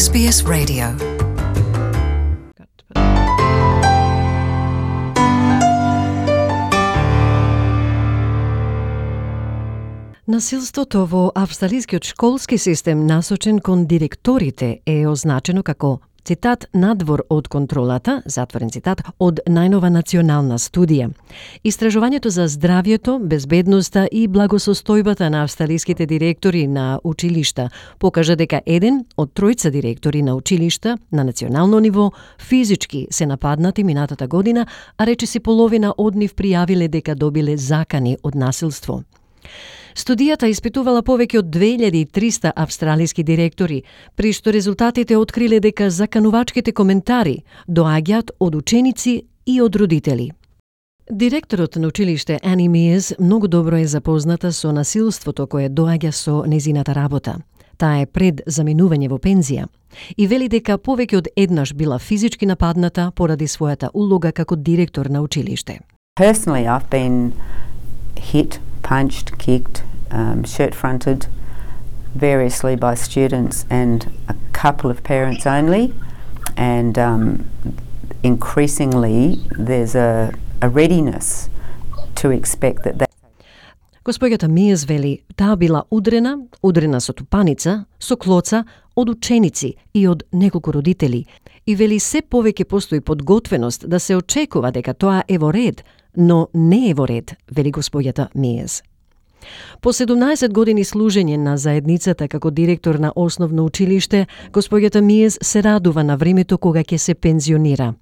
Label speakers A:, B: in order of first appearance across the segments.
A: SBS Radio. Насилството во австралискиот школски систем насочен кон директорите е означено како цитат надвор од контролата, затворен цитат, од најнова национална студија. Истражувањето за здравјето, безбедноста и благосостојбата на австралиските директори на училишта покажа дека еден од тројца директори на училишта на национално ниво физички се нападнати минатата година, а речиси половина од нив пријавиле дека добиле закани од насилство. Студијата испитувала повеќе од 2300 австралиски директори, при што резултатите откриле дека заканувачките коментари доаѓаат од ученици и од родители. Директорот на училиште Ани Миес многу добро е запозната со насилството кое доаѓа со незината работа. Таа е пред заминување во пензија и вели дека повеќе од еднаш била физички нападната поради својата улога како директор на училиште.
B: Personally, I've been hit, punched, kicked, shirt-fronted variously by students and a couple of parents only, and increasingly there's a readiness to expect that.
C: Госпоѓата Миес вели, таа била удрена со тупаница, со клоца, од ученици и од неколку родители, и вели се повеќе постои подготвеност да се очекува дека тоа е во ред, но не е во ред, вели госпоѓата Миес. По 17 години служење на заедницата како директор на основно училиште, госпоѓата Миес се радува на времето кога ќе се пензионира.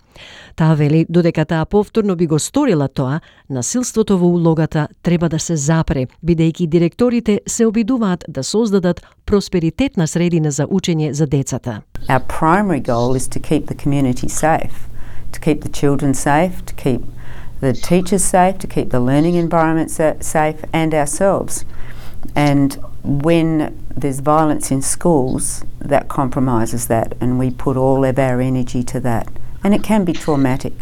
C: Таа вели, додека таа повторно би го сторила тоа, насилството во улогата треба да се запре, бидејќи директорите се обидуваат да создадат просперитетна средина за учење за децата.
B: Our primary goal is to keep the community safe, to keep the children safe, to keep the teachers safe, to keep the learning environment safe, and ourselves. And when there's violence in schools, that compromises that, and we put all of our energy to that. And it can be traumatic.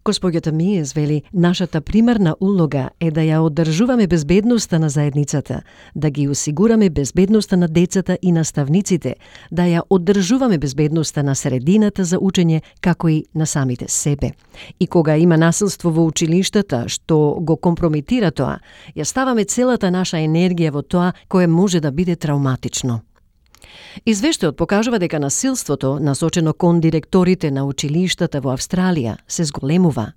C: Госпоѓата Миес вели, нашата примарна улога е да ја одржуваме безбедноста на заедницата, да ги осигураме безбедноста на децата и наставниците, да ја одржуваме безбедноста на средината за учење, како и на самите себе. И кога има насилство во училиштата, што го компрометира тоа, ја ставаме целата наша енергија во тоа кое може да биде травматично. Извештајот покажува дека насилството, насочено кон директорите на училиштата во Австралија, се зголемува.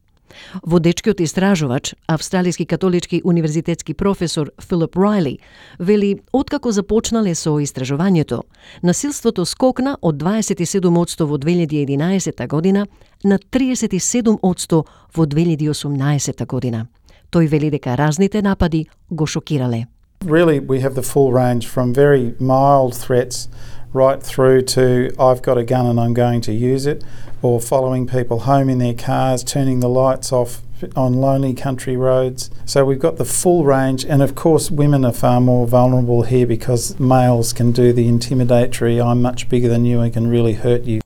C: Водечкиот истражувач, австралиски католички универзитетски професор Филип Райли, вели, откако започнале со истражувањето, насилството скокна од 27% во 2011 година на 37% во 2018 година. Тој вели дека разните напади го шокирале.
D: Really, we have the full range from very mild threats right through to I've got a gun and I'm going to use it, or following people home in their cars, turning the lights off on lonely country roads. So we've got the full range, and of course women are far more vulnerable here because males can do the intimidatory, I'm much bigger than you and can really hurt you.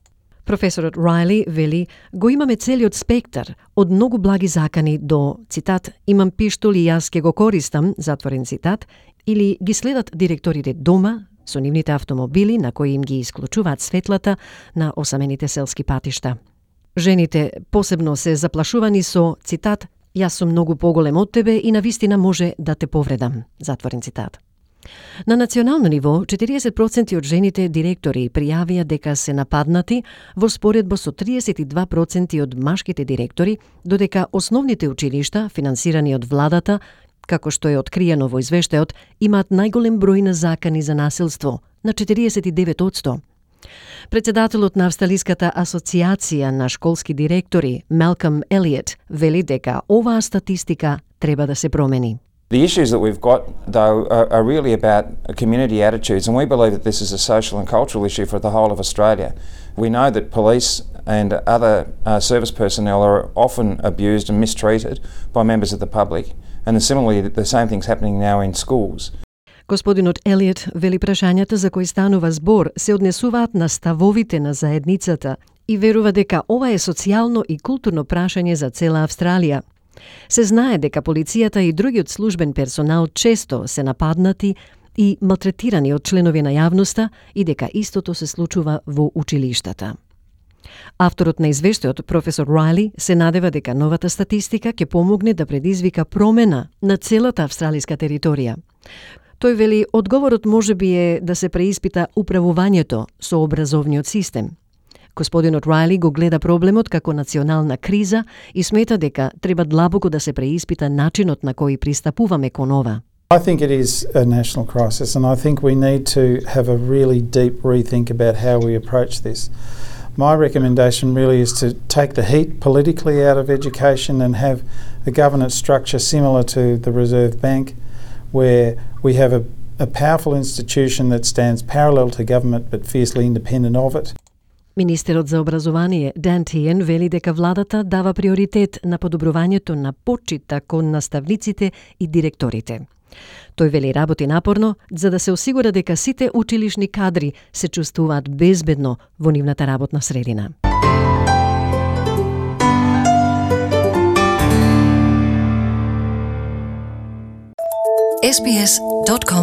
C: Професорот Райли вели, го имаме целиот спектар, од многу благи закани до, цитат, имам пиштол и јас ке го користам, затворен цитат, или ги следат директорите дома, со нивните автомобили на кои им ги исклучуваат светлата на осамените селски патишта. Жените посебно се заплашувани со, цитат, јас сум многу поголем од тебе и навистина може да те повредам, затворен цитат. На национално ниво, 40% од жените директори пријавија дека се нападнати во споредба со 32% од машките директори, додека основните училишта, финансирани од владата, како што е откриено во извештајот, имаат најголем број на закани за насилство, на 49%. Председателот на Австралиската асоциација на школски директори, Малком Елиот, вели дека оваа статистика треба да се промени.
E: The issues that we've got, though, are really about community attitudes, and we believe that this is a social and cultural issue for the whole of Australia. We know that police and other service personnel are often abused and mistreated by members of the public, and similarly, the same thing's happening now in schools.
C: Господинот Елиот вели прашањата за кои станува збор се однесуваат на ставовите на заедницата и верува дека ова е социјално и културно прашање за цела Австралија. Се знае дека полицијата и другиот службен персонал често се нападнати и малтретирани од членови на јавноста и дека истото се случува во училиштата. Авторот на извештајот, професор Райли, се надева дека новата статистика ќе помогне да предизвика промена на целата австралиска територија. Тој вели, одговорот можеби е да се преиспита управувањето со образовниот систем. Господинот Райли го гледа проблемот како национална криза и смета дека треба длабоко да се преиспита начинот на кој пристапуваме кон ова.
D: I think it is a national crisis, and I think we need to have a really deep rethink about how we approach this. My recommendation really is to take the heat politically out of education and have a governance structure similar to the Reserve Bank, where we have a powerful institution that stands parallel to government but fiercely independent of it.
C: Министерот за образование Дан Тиен вели дека владата дава приоритет на подобрувањето на почита кон наставниците и директорите. Тој вели работи напорно за да се осигура дека сите училишни кадри се чувствуваат безбедно во нивната работна средина.
A: sbs.com.au